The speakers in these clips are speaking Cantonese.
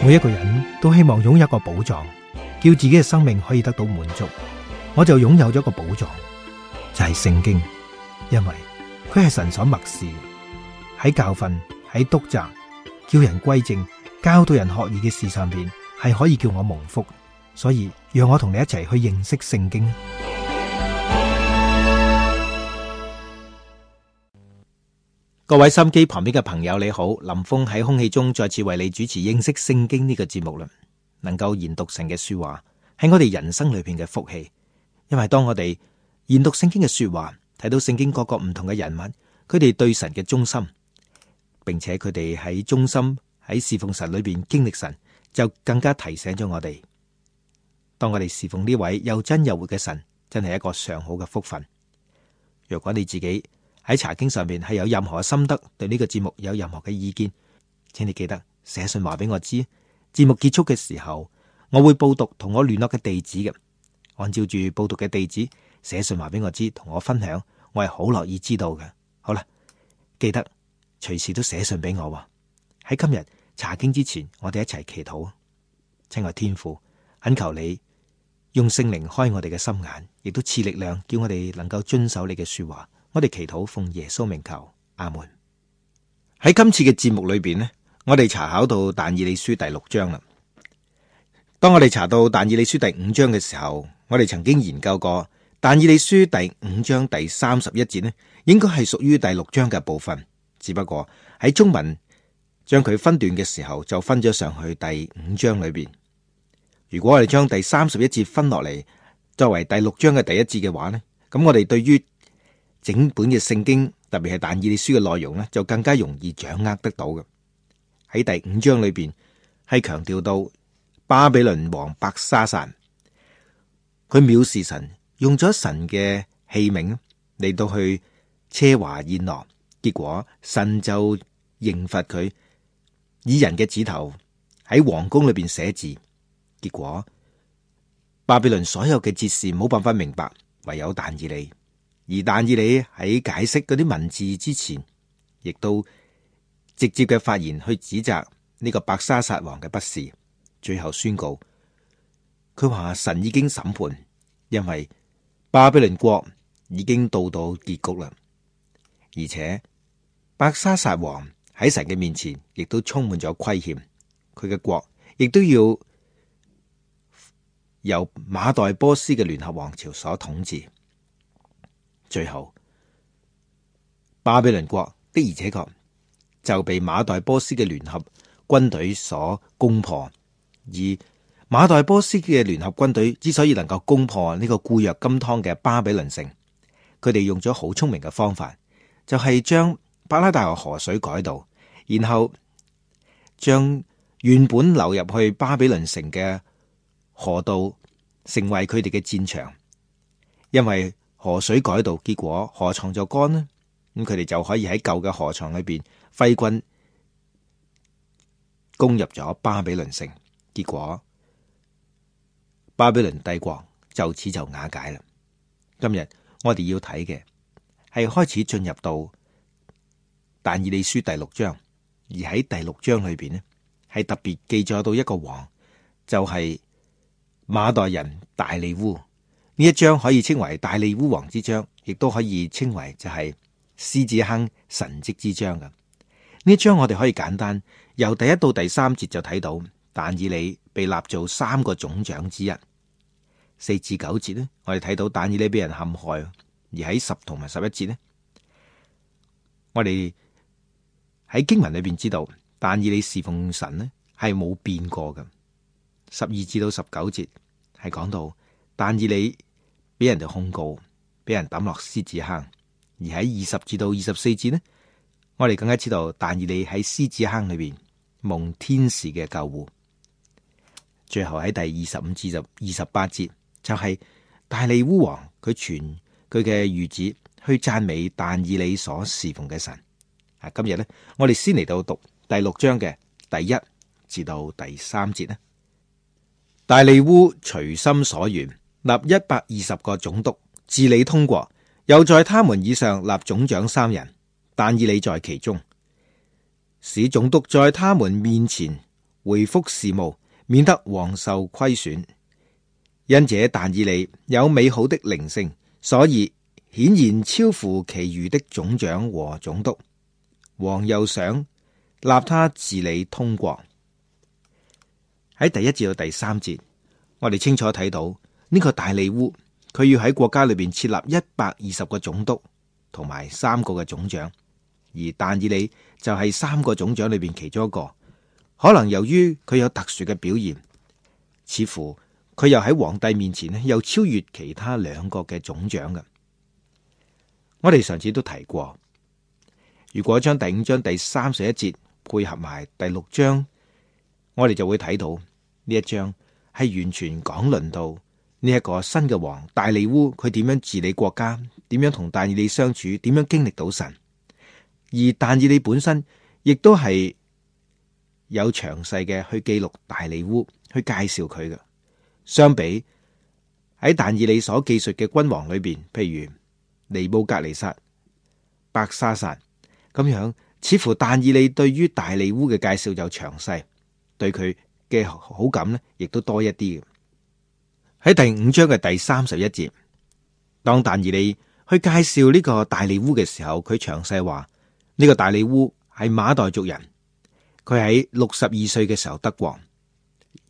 每一個人都希望擁有一個寶藏，叫自己嘅生命可以得到滿足。我就擁有咗一個寶藏，就係聖經，因為佢係神所默示，喺教訓、喺督責、叫人歸正、教導人學義嘅事上邊，係可以叫我蒙福。所以讓我同你一齊去認識聖經。各位心機旁邊嘅朋友你好，林峰喺空氣中再次為你主持認識聖經呢個節目啦。能夠研讀神嘅說話係我哋人生裏邊嘅福氣，因為當我哋研讀聖經嘅說話，睇到聖經各個唔同嘅人物，佢哋對神嘅忠心，並且佢哋喺忠心喺侍奉神裏邊經歷神，就更加提醒咗我哋。當我哋侍奉呢位又真又活嘅神，真係一個上好嘅福分。若果你自己喺查經上面係有任何心得，對呢個節目有任何嘅意見，請你記得寫信話俾我知。節目結束嘅時候，我會報讀同我聯絡嘅地址嘅，按照住報讀嘅地址寫信話俾我知，同我分享，我係好樂意知道嘅。好啦，記得隨時都寫信俾我。喺今日查經之前，我哋一齊祈禱。親愛天父，懇求你用聖靈開我哋嘅心眼，亦都賜力量，叫我哋能夠遵守你嘅說話。我哋祈禱奉耶穌名求，阿門。喺今次嘅節目裏邊呢，我哋查考到但以理書第6章啦。當我哋查到但以理書第5章嘅時候，我哋曾經研究過但以理書第5章第31節呢，應該係屬於第6章嘅部分，只不過喺中文將佢分段嘅時候，就分咗上去第5章裏邊。如果我哋將第31節分落嚟作為第6章嘅第一節嘅話呢，咁我哋對於整本嘅聖經，特別係但以理書嘅內容呢，就更加容易掌握得到嘅。喺第5章裏邊係強調到巴比倫王伯沙撒，佢藐視神，用咗神嘅器皿嚟到去奢華宴樂，結果神就刑罰佢，以人嘅指頭喺皇宮裏邊寫字，結果巴比倫所有嘅哲士冇辦法明白，唯有但以理。而但以理喺解釋嗰啲文字之前，亦都直接嘅發言去指責呢個伯沙撒王嘅不是，最後宣告佢話神已經審判，因為巴比倫國已經到結局啦，而且伯沙撒王喺神嘅面前亦都充滿咗虧欠，佢嘅國亦都要由馬代波斯嘅聯合王朝所統治。最後巴比倫國的而且確就被馬代波斯嘅聯合軍隊所攻破，而馬代波斯嘅聯合軍隊之所以能夠攻破呢個固若金湯嘅巴比倫城，佢哋用咗好聰明嘅方法，就係將伯拉大河河水改道，然後將原本流入去巴比倫城嘅河道成為佢哋嘅戰場，因為河水改道，結果河床就乾啦，咁佢哋就可以喺舊嘅河床裏邊揮軍攻入咗巴比倫城，結果巴比倫帝國就此就瓦解啦。今日我哋要睇嘅係開始進入到但以理書第6章，而喺第6章裏邊呢，係特別記載到一個王，就係馬代人大利烏。呢一章可以稱為大利烏王之章，亦都可以稱為就係獅子坑神蹟之章嘅。呢一章我哋可以簡單由第1到第3節就睇到但以理被立做3個總長之一。4至9節呢，我哋睇到但以理俾人陷害，而喺10同埋11節呢，我哋喺經文裏邊知道但以理侍奉神呢係冇變過嘅。12至到19節係講到但以理俾人哋控告，俾人抌落獅子坑，而喺20至到24節呢，我哋更加知道但以理喺獅子坑裏邊蒙天使嘅救護。最後喺第25至28節就係大利烏王佢傳佢嘅諭旨去讚美但以理所侍奉嘅神。今日呢，我哋先嚟到讀第6章嘅第1至到第3節呢。大利烏隨心所願立120個總督治理通國，又在他們以上立總長3人，但以理在其中，使總督在他們面前回復事務，免得王受虧損。因這但以理有美好的靈性，所以顯然超乎其餘的總長和總督。王又想立他治理通國。喺第1至到第3節，我哋清楚睇到呢個大利烏，佢要喺國家裏邊設立120個總督同埋3個嘅總長，而但以理就係3個總長裏邊其中一個。可能由於佢有特殊嘅表現，似乎佢又喺皇帝面前又超越其他2個嘅總長嘅。我哋上次都提過，如果將第5章第31節配合埋第6章，我哋就會睇到呢一章係完全講論到呢一個新嘅王大利烏，佢點樣治理國家，點樣同但以理相處，點樣經歷到神。而但以理本身亦都係有詳細嘅去記錄大利烏，去介紹佢嘅。相比喺但以理所記述嘅君王裏邊，譬如尼布甲尼撒、伯沙撒咁樣，似乎但以理對於大利烏嘅介紹就詳細，對佢嘅好感呢亦都多一啲嘅。喺第5章嘅第31節，當但以理去介紹呢個大利烏嘅時候，佢詳細話呢個大利烏係馬代族人。佢喺62歲嘅時候得王，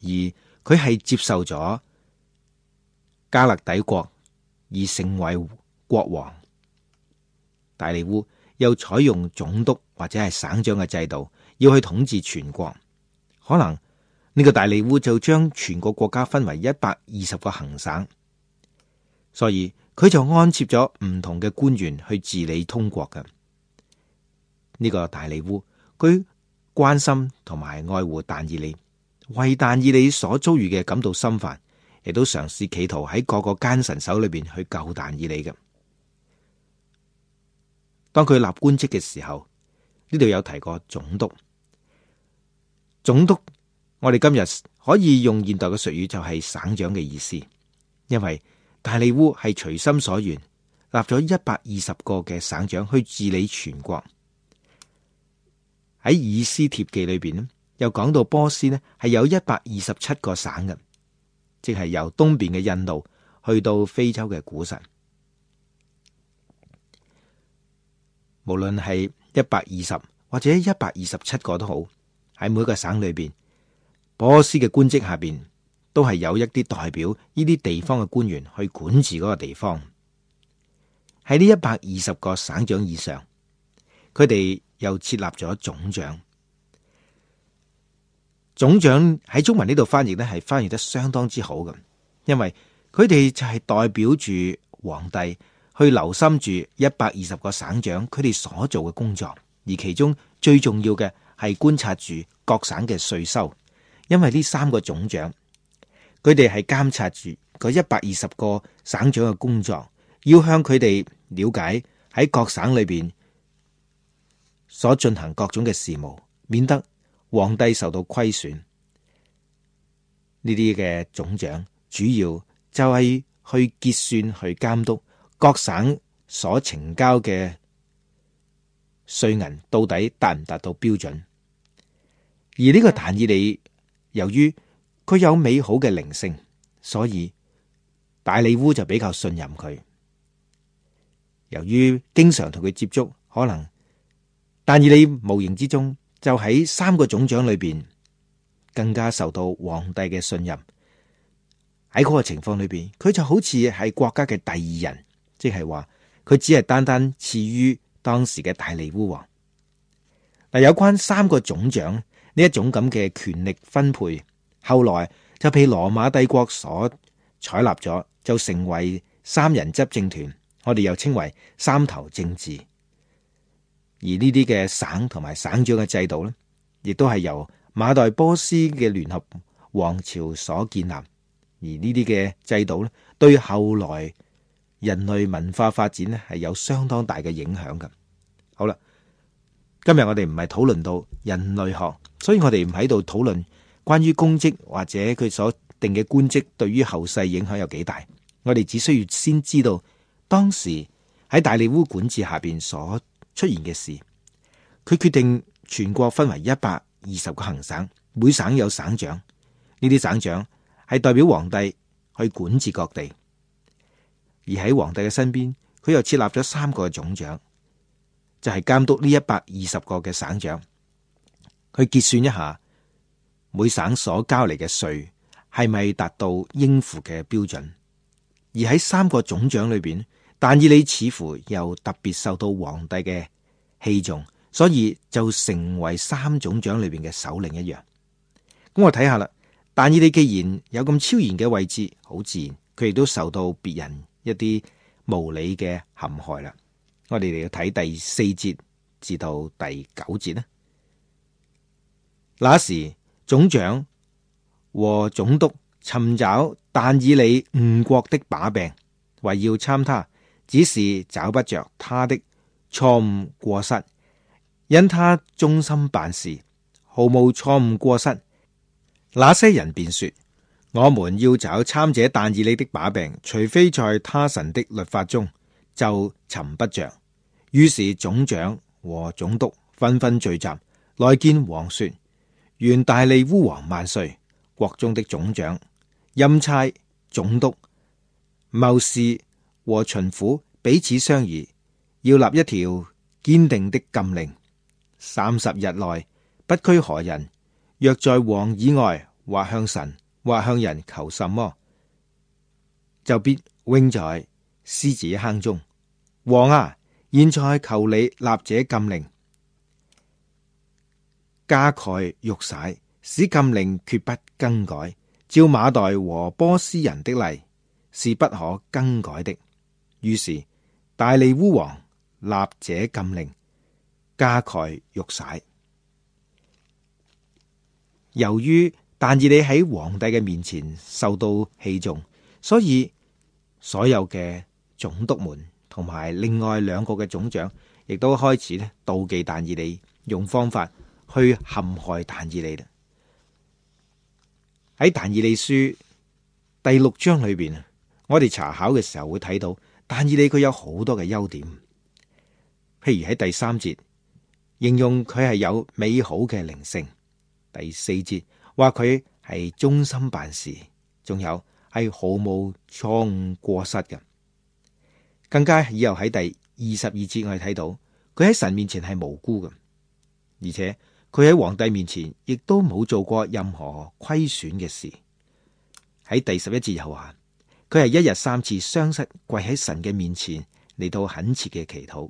而佢係接受咗加勒底國而成為國王。大利烏又採用總督或者係省長嘅制度，要去統治全國。可能呢個大利烏就將全國國家分為120個行省，所以佢就安設咗唔同嘅官員去治理通國嘅。呢個大利烏佢關心同埋愛護但以理，為但以理所遭遇嘅感到心煩，亦都嘗試企圖喺各個奸臣手裏邊去救但以理嘅。當佢立官職嘅時候，呢度有提過總督。總督，我哋今日可以用現代嘅術語就係省長嘅意思，因為大利烏係隨心所願立咗120個嘅省長去治理全國。喺以斯帖記裏邊咧，又講到波斯呢係有127個省嘅，即係由東邊嘅印度去到非洲嘅古實。無論係120或者127個都好，喺每個省裏邊，波斯嘅官職下邊都係有一啲代表呢啲地方嘅官員去管治嗰個地方。喺呢120個省長以上，佢哋又設立咗總長。總長喺中文呢度翻譯呢係翻譯得相當之好嘅，因為佢哋就係代表住皇帝去留心住120個省長佢哋所做嘅工作，而其中最重要嘅係觀察住各省嘅稅收，因為呢3個總長佢哋係監察住嗰120個省長嘅工作，要向佢哋了解喺各省裏邊所進行各種嘅事務，免得皇帝受到虧損。呢啲嘅總長主要就係去結算、去監督各省所呈交嘅稅銀到底達唔達到標準。而呢個但以理由於佢有美好嘅靈性，所以大利烏就比較信任佢。由於經常同佢接觸，可能但以理無形之中就喺3個總長裏邊更加受到皇帝嘅信任。喺嗰個情況裏邊，佢就好似係國家嘅第2人，即係話佢只係單單次於當時嘅大利烏王。嗱，有關3個總長呢一種咁嘅權力分配，後來就被羅馬帝國所採納咗，就成為3人執政團，我哋又稱為3頭政治。而呢啲嘅省同埋省長嘅制度呢，亦都係由馬代波斯嘅聯合王朝所建立。而呢啲嘅制度呢，對後來人類文化發展呢係有相當大嘅影響嘅。好啦，今日我哋唔係討論到人類學，所以我哋唔喺度討論關於公職或者佢所定嘅官職對於後世影響有幾大。我哋只需要先知道當時喺大利烏管治下邊所出現嘅事。佢決定全國分為120個行省，每省有省長，呢啲省長係代表皇帝去管治各地。而喺皇帝嘅身邊，佢又設立咗3個總長，就係監督呢120個嘅省長，去結算一下每省所交嚟嘅稅係咪達到應付嘅標準。而喺3個總長裏邊，但以理似乎又特別受到皇帝嘅器重，所以就成為3總長裏邊嘅首領一樣。咁我睇下啦，但以理既然有咁超然嘅位置，好自然佢亦都受到別人一啲無理嘅陷害啦。我哋嚟要睇第4節至到第9節啦。那時總長和總督尋找但以理誤國的把柄，為要參他，只是找不着他的錯誤過失，因他忠心辦事，毫無錯誤過失。那些人便說：我們要找參者但以理的把柄，除非在他神的律法中，就尋不着。於是總長和總督紛紛聚集來見王，說：願大利烏王萬歲！國中的總長、欽差、總督、謀士和巡撫彼此商議，要立一條堅定的禁令：30日內不拘何人，若在王以外或向神或向人求什麼，就必扔在獅子坑中。王啊，現在求你立這禁令，加蓋玉璽，使禁令決不更改。照馬代和波斯人的例，是不可更改的。於是大利烏王立這禁令，加蓋玉璽。由於但以理喺皇帝嘅面前受到器重，所以所有嘅總督們同埋另外2個嘅總長，亦都開始咧妒忌但以理，用方法去陷害但以理啦。喺但以理書第6章裏邊，我哋查考嘅時候會睇到但以理佢有好多嘅優點，譬如喺第3節形容佢係有美好嘅靈性，第4節話佢係忠心辦事，仲有係毫無錯誤過失嘅。更加以後喺第22節我哋睇到佢喺神面前係無辜嘅，而且佢喺皇帝面前亦都冇做過任何虧損嘅事。喺第11節又話佢係1日3次雙膝跪喺神嘅面前嚟到懇切嘅祈禱。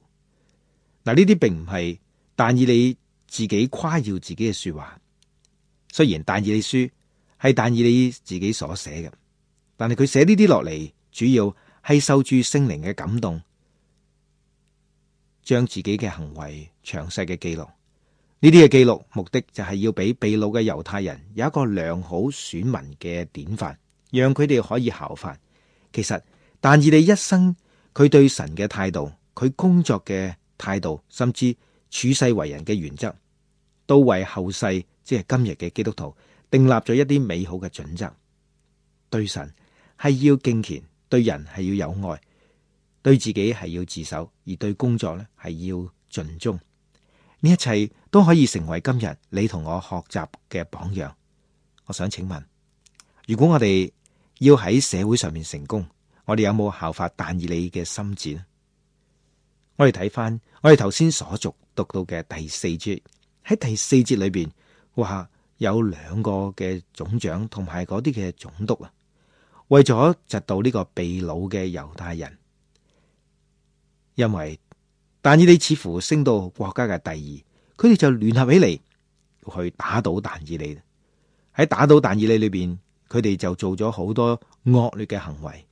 嗱，呢啲並唔係但以理自己誇耀自己嘅說話，雖然但以理書係但以理自己所寫嘅，但係佢寫呢啲落嚟，主要係受住聖靈嘅感動，將自己嘅行為詳細嘅記錄。呢啲嘅記錄目的就係要俾被擄嘅猶太人有一個良好選民嘅典範，讓佢哋可以效法。其實但以理一生佢對神嘅態度，佢工作嘅態度，甚至處世為人嘅原則，都為後世即係今日嘅基督徒訂立咗一啲美好嘅準則。對神係要敬虔，對人係要有愛，對自己係要自守，而對工作呢係要盡忠。呢一切都可以成為今日你同我學習嘅榜樣。我想請問，如果我哋要喺社會上面成功，我哋有冇效法但以理嘅心志呢？我哋睇翻我哋頭先所讀到嘅第4節，喺第4節裏邊話有2個嘅總長同埋嗰啲嘅總督啊，為咗窒到呢個被擄嘅猶太人，因為但以理似乎升到國家嘅第2，佢哋就聯合起嚟去打倒但以理。喺打倒但以理裏邊，佢哋就做咗好多惡劣嘅行為。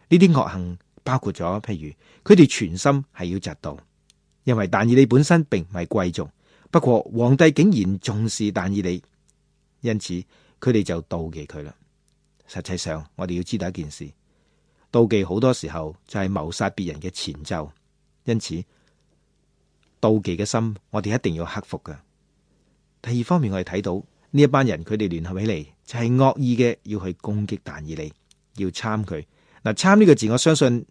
呢啲惡行包括咗，譬如佢哋全心係要窒到，因為但以理本身並唔係貴族，不過皇帝竟然重視但以理，因此佢哋就妒忌佢啦。實際上，我哋要知道一件事，妒忌好多時候就係謀殺別人嘅前奏。因此，妒忌嘅心，我哋一定要克服㗎。第二方面，我哋睇到呢一班人，佢哋聯合起嚟，就係惡意嘅，要去攻擊但以理，要參佢。嗱，參呢個字，我相信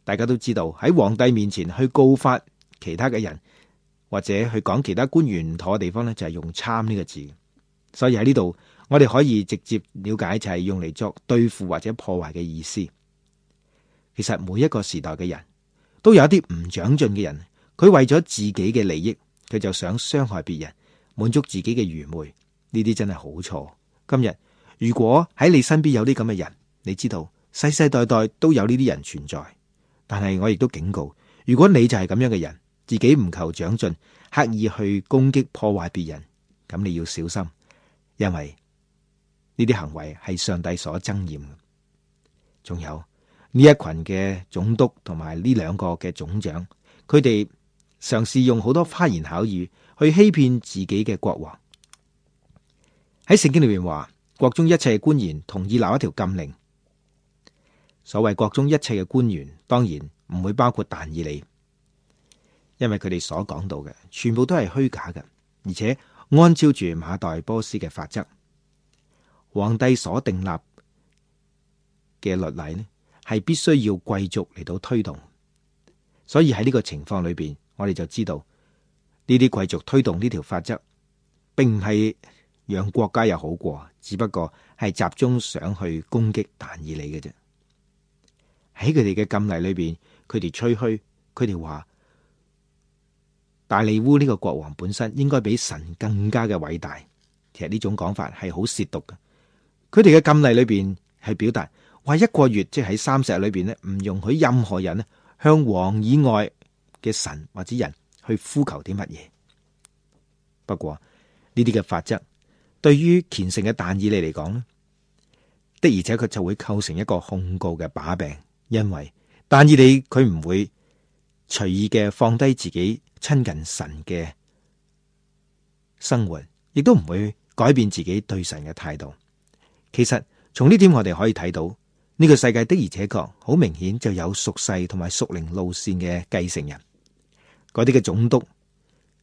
大家都知道，喺皇帝面前去告發其他嘅人，或者去講其他官員唔妥嘅地方咧，就係用參呢個字。所以喺呢度我哋可以直接了解就係用嚟作對付或者破壞嘅意思。其實每一個時代嘅人都有一啲唔長進嘅人，佢為咗自己嘅利益，佢就想傷害別人，滿足自己嘅愚昧。呢啲真係好錯。今日如果喺你身邊有啲咁嘅人，你知道世世代代都有呢啲人存在。但係我亦都警告，如果你就係咁樣嘅人，自己唔求長進，刻意去攻擊破壞別人，咁你要小心，因為呢啲行為係上帝所憎厭嘅。仲有呢一群嘅總督同埋呢兩個嘅總長，佢哋嘗試用好多花言巧語去欺騙自己嘅國王。喺聖經裏面話，國中一切嘅官員同意立一條禁令。所謂國中一切嘅官員，當然唔會包括但以理，因為佢哋所講到嘅全部都係虛假嘅，而且按照住馬代波斯嘅法則，皇帝所訂立嘅律例呢，係必須要貴族嚟到推動。所以喺呢個情況裏邊，我哋就知道呢啲貴族推動呢條法則，並唔係讓國家有好過，只不過係集中想去攻擊但以理嘅啫。喺佢哋嘅禁例裏邊，佢哋吹噓，佢哋話大利烏呢個國王本身應該比神更加嘅偉大。其實呢種講法係好褻瀆嘅。佢哋嘅禁例裏邊係表達話一個月，即係喺30日裏邊咧，唔容許任何人咧向王以外嘅神或者人去呼求啲乜嘢。不過呢啲嘅法則對於虔誠嘅但以理嚟講咧，的而且確就會構成一個控告嘅把柄。因為但以理佢唔會隨意嘅放低自己親近神嘅生活，亦都唔會改變自己對神嘅態度。其實從呢點我哋可以睇到，呢個世界的而且確好明顯就有屬世同埋屬靈路線嘅繼承人。嗰啲嘅總督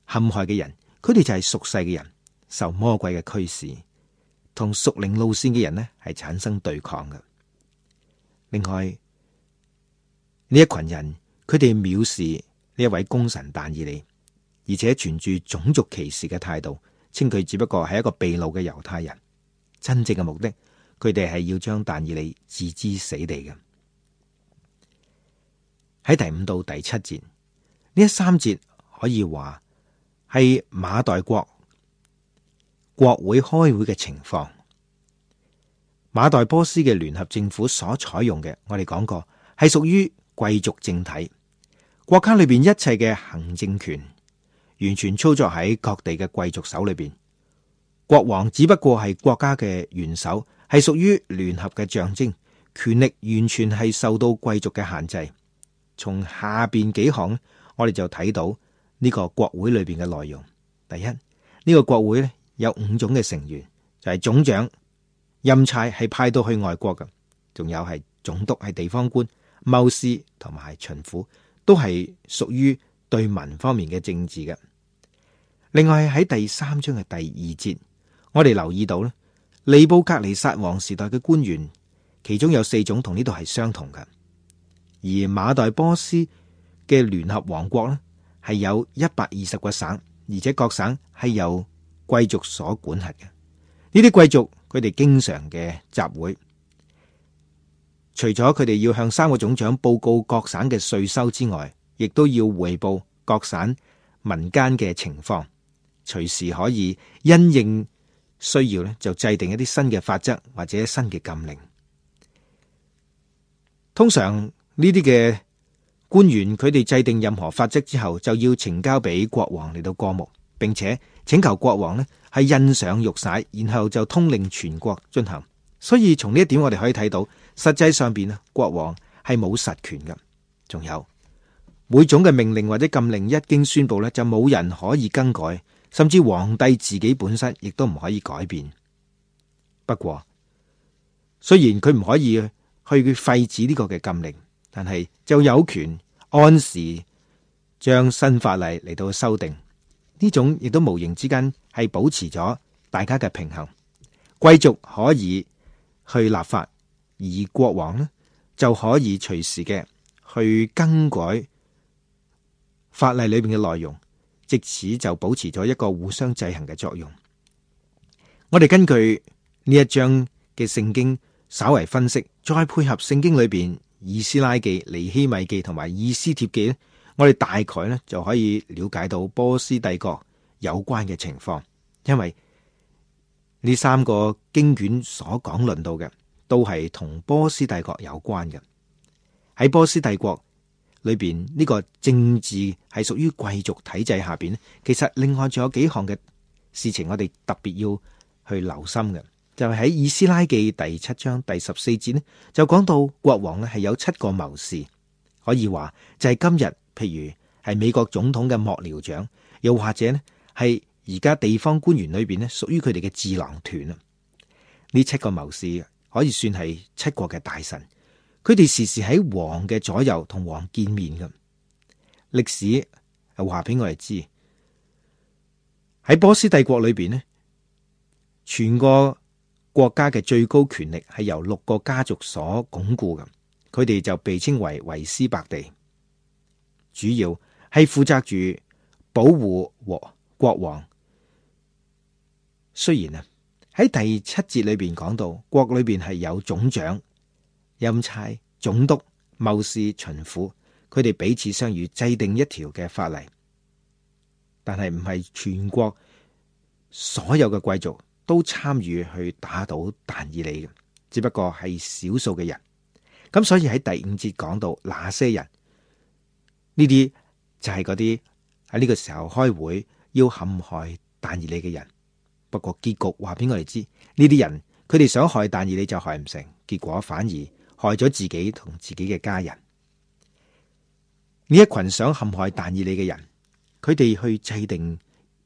陷害嘅人，佢哋就係屬世嘅人，受魔鬼嘅驅使，同屬靈路線嘅人呢係產生對抗嘅。另外呢一群人，佢哋藐視呢一位功臣但以理，而且存住種族歧視嘅態度，稱佢只不過係一個被擄嘅猶太人。真正嘅目的，佢哋係要將但以理置之死地嘅。喺第5到第7節，呢3節可以話係馬代國會開會嘅情況。馬代波斯嘅聯合政府所採用嘅，我哋講過係屬於貴族政體，國家裏邊一切嘅行政權完全操作喺各地嘅貴族手裏邊。國王只不過係國家嘅元首，係屬於聯合嘅象徵，權力完全係受到貴族嘅限制。從下邊幾行我哋就睇到呢個國會裏邊嘅內容。第一，呢個國會咧有5種嘅成員，就係總長、欽差係派到去外國嘅，仲有係總督係地方官、謀士同埋巡撫都係屬於對民方面嘅政治嘅。另外喺第3章嘅第2節，我哋留意到咧，尼布甲尼撒王時代嘅官員，其中有4種同呢度係相同嘅。而馬代波斯嘅聯合王國咧，係有120個省，而且各省係由貴族所管轄嘅。呢啲貴族佢哋經常嘅集會，除咗佢哋要向3個總長報告各省嘅稅收之外，亦都要匯報各省民間嘅情況，隨時可以因應需要咧，就制定一啲新嘅法則或者新嘅禁令。通常呢啲嘅官員，佢哋制定任何法則之後，就要呈交俾國王嚟到過目，並且請求國王呢係印上玉璽，然後就通令全國進行。所以從呢一點我哋可以睇到，實際上邊啊，國王係冇實權㗎。仲有每種嘅命令或者禁令一經宣布咧，就冇人可以更改，甚至皇帝自己本身亦都唔可以改變。不過雖然佢唔可以去廢止呢個嘅禁令，但係就有權按時將新法例嚟到修訂。呢種亦都無形之間係保持咗大家嘅平衡。貴族可以去立法，而國王呢就可以隨時嘅去更改法例裏邊嘅內容，藉此就保持咗一個互相制衡嘅作用。我哋根據呢一章嘅聖經稍為分析，再配合聖經裏邊以斯拉記、尼希米記同埋以斯帖記咧，我哋大概咧就可以了解到波斯帝國有關嘅情況。因為呢三個經卷所講論到嘅都係同波斯帝國有關嘅。喺波斯帝國裏邊，呢個政治係屬於貴族體制下邊，其實另外仲有幾項嘅事情我哋特別要去留心嘅，就係喺以斯拉記第7章第14節呢，就講到國王呢係有7個謀士，可以話就係今日譬如係美國總統嘅幕僚長，又或者呢係而家地方官員裏邊呢屬於佢哋嘅智囊團啊。呢7個謀士可以算係7國嘅大臣，佢哋時時喺王嘅左右同王見面嘅。歷史係話俾我哋知，喺波斯帝國裏邊呢，全個國家嘅最高權力係由6個家族所鞏固嘅，佢哋就被稱為維斯伯地，主要係負責住保護國王。雖然啊喺第7節裏邊講到國裏邊係有總長、欽差、總督、謀士、巡撫，佢哋彼此相與，制定一條嘅法例，但係唔係全國所有嘅貴族都參與去打倒但以理嘅，只不過係少數嘅人。咁所以喺第5節講到那些人，呢啲就係嗰啲喺呢個時候開會要陷害但以理嘅人。不過結局話俾我哋知，呢啲人佢哋想害但以理就害唔成，結果反而害咗自己同自己嘅家人。呢一群想陷害但以理嘅人，佢哋去制定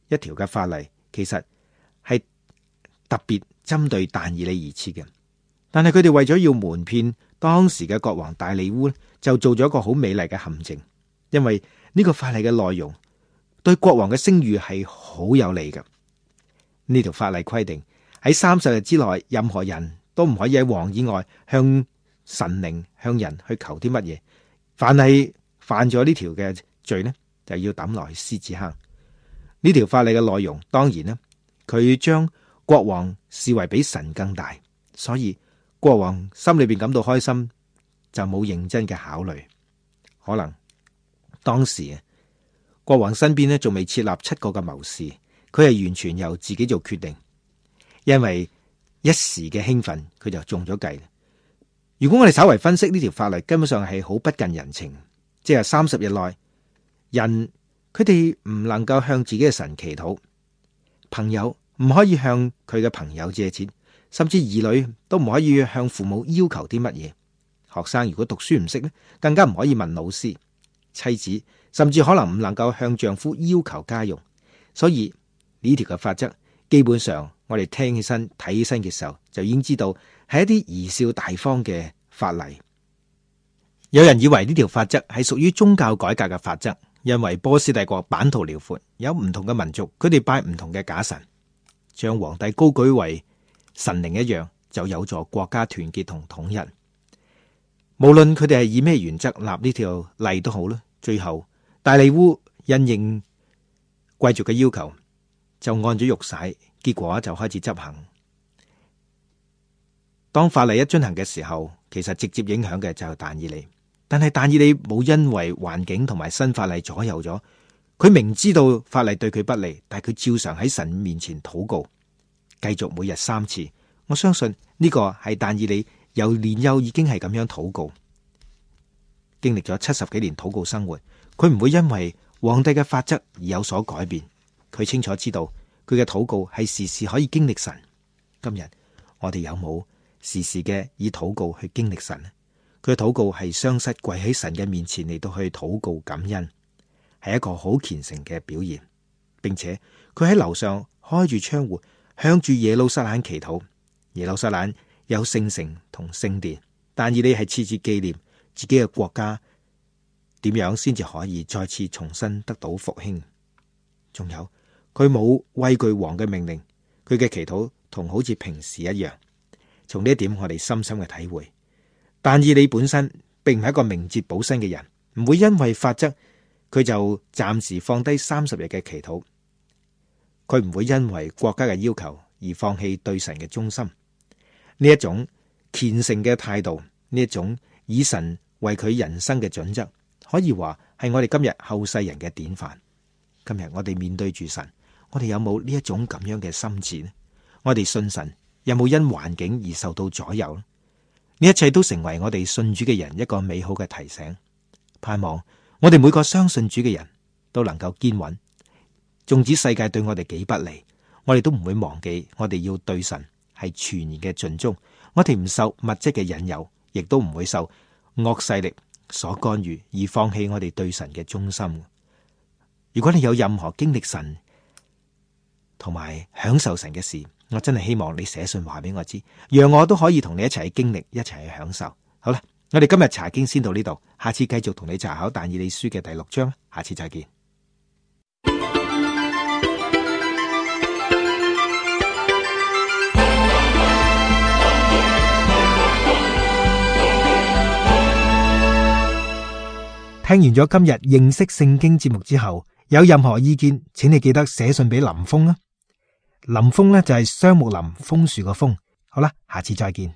一條嘅法例，其實係特別針對但以理而設嘅。但係佢哋為咗要瞞騙當時嘅國王大利烏，就做咗一個好美麗嘅陷阱。因為呢個法例嘅內容對國王嘅聲譽係好有利嘅。呢條法例規定喺30日之內，任何人都唔可以喺王以外向神靈、向人去求啲乜嘢。凡係犯咗呢條嘅罪呢，就要抌落去獅子坑。呢條法例嘅內容，當然呢，佢將國王視為比神更大，所以國王心裏邊感到開心，就冇認真嘅考慮。可能當時國王身邊呢仲未設立7個嘅謀士。佢係完全由自己做決定，因為一時嘅興奮，佢就中咗計。如果我哋稍為分析呢條法例，根本上係好不近人情。即係30日內，人佢哋唔能夠向自己嘅神祈禱，朋友唔可以向佢嘅朋友借錢，甚至兒女都唔可以向父母要求啲乜嘢。學生如果讀書唔識呢，更加唔可以問老師。妻子甚至可能唔能夠向丈夫要求家用。所以呢條嘅法則，基本上我哋聽起身、睇起身嘅時候，就已經知道係一啲貽笑大方嘅法例。有人以為呢條法則係屬於宗教改革嘅法則，因為波斯帝國版圖遼闊，有唔同嘅民族，佢哋拜唔同嘅假神，將皇帝高舉為神靈一樣，就有助國家團結同統一。無論佢哋係以咩原則立呢條例都好啦，最後大利烏因應貴族嘅要求，就按咗玉璽，結果就開始執行。當法例一進行嘅時候，其實直接影響嘅就係但以理。但係但以理冇因為環境同埋新法例左右咗，佢明知道法例對佢不利，但係佢照常喺神面前禱告，繼續每日3次。我相信呢個係但以理由年幼已經係咁樣禱告，經歷咗70幾年禱告生活，佢唔會因為皇帝嘅法則而有所改變。佢清楚知道佢嘅禱告係時時可以經歷神。今日我哋有冇時時嘅以禱告去經歷神呢？佢嘅禱告係雙膝跪喺神嘅面前嚟到去禱告感恩，係一個好虔誠嘅表現，並且佢喺樓上開住窗戶向住耶路撒冷祈禱。耶路撒冷有聖城同聖殿，但以理係次次紀念自己嘅國家點樣先至可以再次重新得到復興。仲有佢冇畏懼王嘅命令，佢嘅祈禱同好似平時一樣。從呢一點我哋深深嘅體會，但以理本身並唔係一個明哲保身嘅人，唔會因為法則佢就暫時放低30日嘅祈禱，佢唔會因為國家嘅要求而放棄對神嘅忠心。呢一種虔誠嘅態度，呢一種以神為佢人生嘅準則，可以話係我哋今日後世人嘅典範。今日我哋面對住神，我哋有冇呢一種咁樣嘅心志呢？我哋信神有冇因環境而受到左右呢？呢一切都成為我哋信主嘅人一個美好嘅提醒。盼望我哋每個相信主嘅人都能夠堅穩，縱使世界對我哋幾不利，我哋都唔會忘記我哋要對神係全然嘅盡忠。我哋唔受物質嘅引誘，亦都唔會受惡勢力所干預而放棄我哋對神嘅忠心。如果你有任何經歷神同埋享受神嘅事，我真係希望你寫信話俾我知，讓我都可以同你一齊去經歷，一齊去享受。好啦，我哋今日查經先到呢度，下次繼續同你查考但以理書嘅第6章，下次再見。聽完咗今日認識聖經節目之後，有任何意見，請你記得寫信俾林峰啦。林峰呢就係雙木林楓樹個楓。好啦，下次再見。